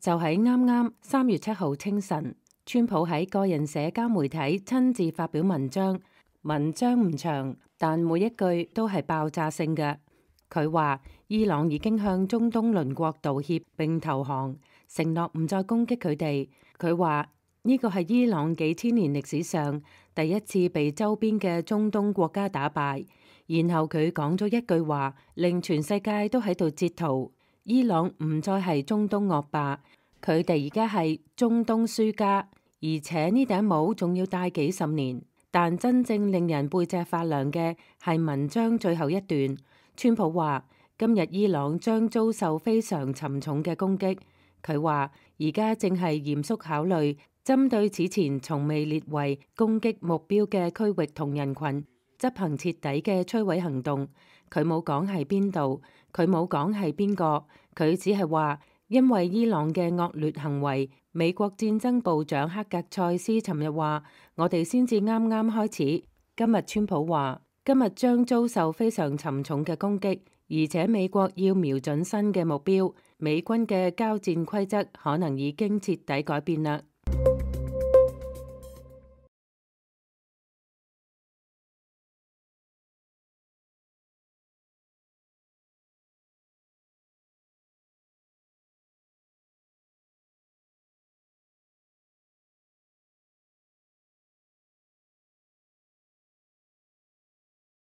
就喺啱啱3月7號清晨，川普喺個人社交媒體親自發表文章，文章唔長，但每一句都係爆炸性嘅。佢話伊朗已經向中東鄰國道歉並投降，承諾唔再攻擊佢哋。佢話呢個係伊朗幾千年歷史上第一次被周邊嘅中東國家打敗。然後佢講咗一句話，令全世界都喺度截圖：伊朗唔再係中東惡霸，佢哋而家係中東輸家，而且呢頂帽仲要戴幾十年。但真正令人背脊發涼嘅係文章最後一段。川普話今日伊朗將遭受非常沉重嘅攻擊。佢話而家正係嚴肅考慮針對此前從未列為攻擊目標嘅區域同人群執行徹底嘅摧毀行動。佢冇講係邊度，佢冇講係邊個，佢只係話因為伊朗嘅惡劣行為。美國戰爭部長克格塞斯尋日話：我哋先至啱啱開始。今日川普話：今日將遭受非常沉重嘅攻擊，而且美國要瞄準新嘅目標。美軍嘅交戰規則可能已經徹底改變啦。